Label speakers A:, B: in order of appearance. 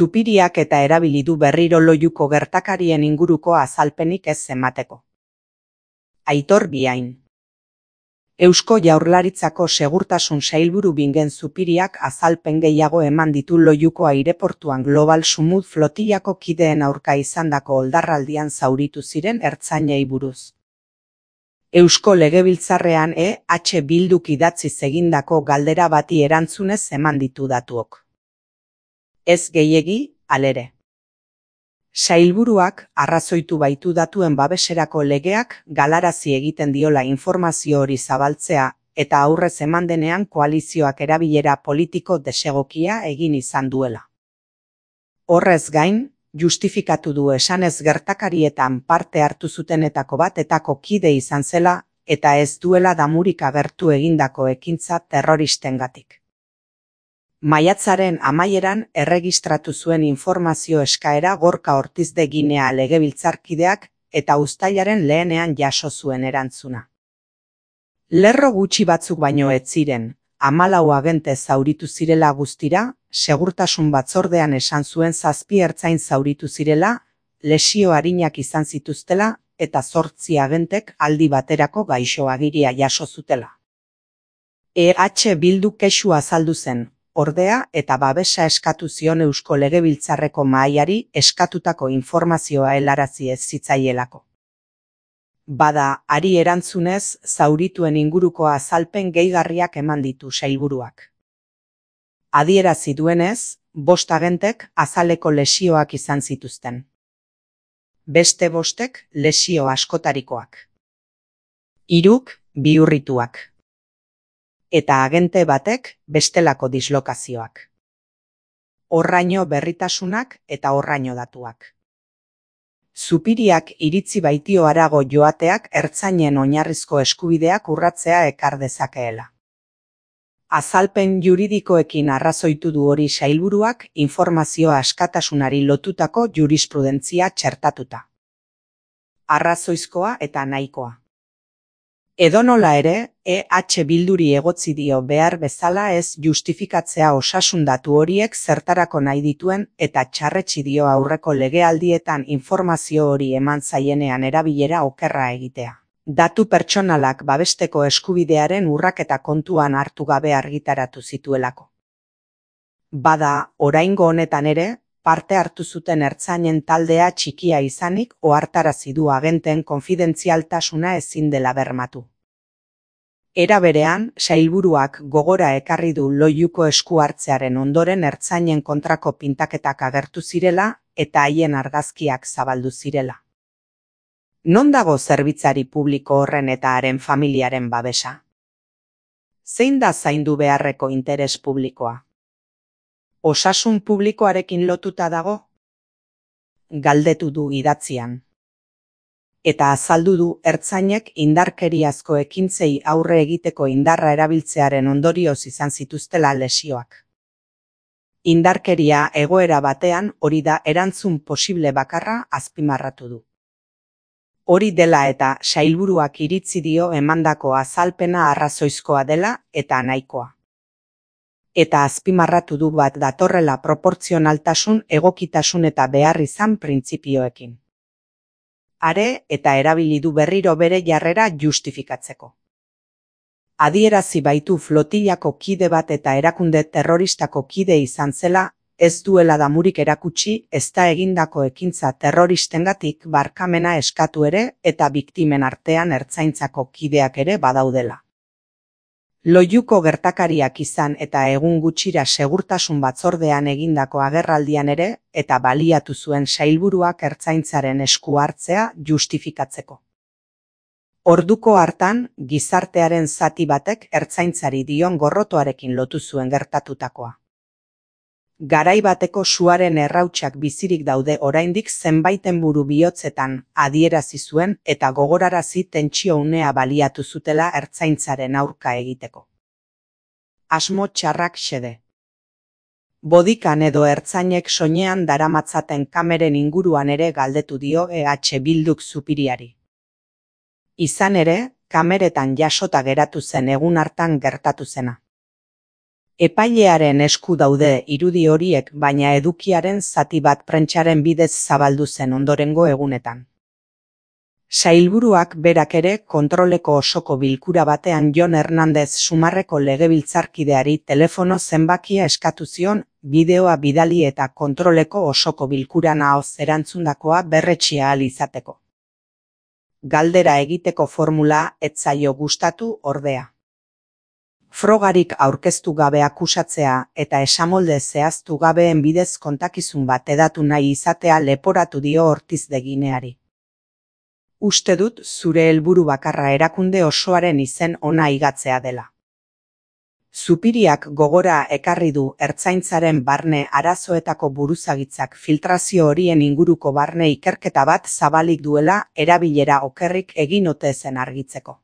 A: Zupiriak eta erabili du berriro Loiuko gertakarien inguruko azalpenik ez emateko. Aitor Biain. Eusko Jaurlaritzako Segurtasun Sailburu Bingen Zupiriak azalpen gehiago eman ditu Loiuko aireportuan Global Sumut flotillako kideen aurka izandako oldarraldian zauritu ziren ertzainei buruz. Eusko Legebiltzarrean EH Bilduk idatziz egindako galdera bati erantzunez eman ditu datuok. Ez gehiegi, halere. Sailburuak arrazoitu baitu datuen babeserako legeak galarazi egiten diola informazio hori zabaltzea eta aurrez eman denean koalizioak erabilera politiko desegokia egin izan duela. Horrez gain, justifikatu du esanez gertakarietan parte hartu zutenetako batetako kide izan zela eta ez duela damurik agertu egindako ekintza terroristengatik. Maiatzaren amaieran erregistratu zuen informazio eskaera Gorka Ortiz de Ginea legebiltzarkideak eta uztailaren lehenean jaso zuen erantzuna. Lerro gutxi batzuk baino ez ziren, 14 agente zauritu zirela guztira, segurtasun batzordean esan zuen 7 ertzain zauritu zirela, lesio arinak izan zituztela eta 8 agentek aldi baterako gaixo agiria jaso zutela. EH Bildu kexu azaldu zen. Ordea eta babesa eskatu zion Eusko Legebiltzarreko mahaiari eskatutako informazioa helarazi ez zitzaielako. Bada, hari erantzunez, zaurituen inguruko azalpen gehigarriak eman ditu sailburuak. Adierazi duenez, 5 agentek azaleko lesioak izan zituzten. Beste 5ek lesio askotarikoak. 3 bihurrituak. Eta agente batek bestelako dislokazioak. Horraino berritasunak eta horraino datuak. Zupiriak iritzi baitio harago joateak ertzainen oinarrizko eskubideak urratzea ekar dezakeela. Azalpen juridikoekin arrazoitu du hori sailburuak informazio askatasunari lotutako jurisprudentzia txertatuta. Arrazoizkoa eta nahikoa. Edonola ere, EH Bilduri egotzi dio behar bezala ez justifikatzea osasun datu horiek zertarako nahi dituen eta txarretsi dio aurreko legealdietan informazio hori eman zaienean erabilera okerra egitea. Datu pertsonalak babesteko eskubidearen urraketa kontuan hartu gabe argitaratu zituelako. Bada, oraingo honetan ere, parte hartu zuten ertzainen taldea txikia izanik ohartarazi du agenteen konfidentzialtasuna ezin dela bermatu. Era berean, sailburuak gogora ekarri du Loiuko esku hartzearen ondoren ertzainen kontrako pintaketak agertu zirela eta haien argazkiak zabaldu zirela. Non dago zerbitzari publiko horren eta haren familiaren babesa? Zein da zaindu beharreko interes publikoa? Osasun publikoarekin lotuta dago? Galdetu du idatzian. Eta azaldu du ertzainek indarkeriazko ekintzei aurre egiteko indarra erabiltzearen ondorioz izan zituztela lesioak. Indarkeria egoera batean hori da erantzun posible bakarra azpimarratu du. Hori dela eta sailburuak iritzi dio emandako azalpena arrazoizkoa dela eta nahikoa. Eta azpimarratu du bat datorrela proportzionaltasun, egokitasun eta behar izan printzipioekin. Are eta erabili du berriro bere jarrera justifikatzeko. Adierazi baitu flotillako kide bat eta erakunde terroristako kide izan zela, ez duela damurik erakutsi ezta egindako ekintza terroristengatik barkamena eskatu ere eta biktimen artean ertzaintzako kideak ere badaudela. Loiuko gertakariak izan eta egun gutxira segurtasun batzordean egindako agerraldian ere eta baliatu zuen sailburuak ertzaintzaren esku hartzea justifikatzeko. Orduko hartan, gizartearen zati batek ertzaintzari dion gorrotoarekin lotu zuen gertatutakoa. Garai bateko suaren errautsak bizirik daude oraindik zenbaiten buru bihotzetan adierazi zuen eta gogorarazi tentsio unea baliatu zutela ertzaintzaren aurka egiteko. Asmo txarrak xede. Bodikan edo ertzainek soinean daramatzaten kameren inguruan ere galdetu dio EH Bilduk Zupiriari. Izan ere, kameretan jasota geratu zen egun hartan gertatu zena. Epailearen esku daude irudi horiek, baina edukiaren zati bat prentsaren bidez zabaldu zen ondorengo egunetan. Sailburuak berak ere kontroleko osoko bilkura batean Jon Hernandez Sumarreko legebiltzarkideari telefono zenbakia eskatu zion bideoa bidali eta kontroleko osoko bilkuran ahoz erantzundakoa berretsi ahal izateko. Galdera egiteko formula ez zaio gustatu ordea. Frogarik aurkeztu gabe akusatzea eta esamolde zehaztu gabeen bidez kontakizun bat hedatu nahi izatea leporatu dio Ortiz de Gineari. Uste dut zure helburu bakarra erakunde osoaren izen ona igatzea dela. Zupiriak gogora ekarri du ertzaintzaren barne arazoetako buruzagitzak filtrazio horien inguruko barne ikerketa bat zabalik duela erabilera okerrik egin ote zen argitzeko.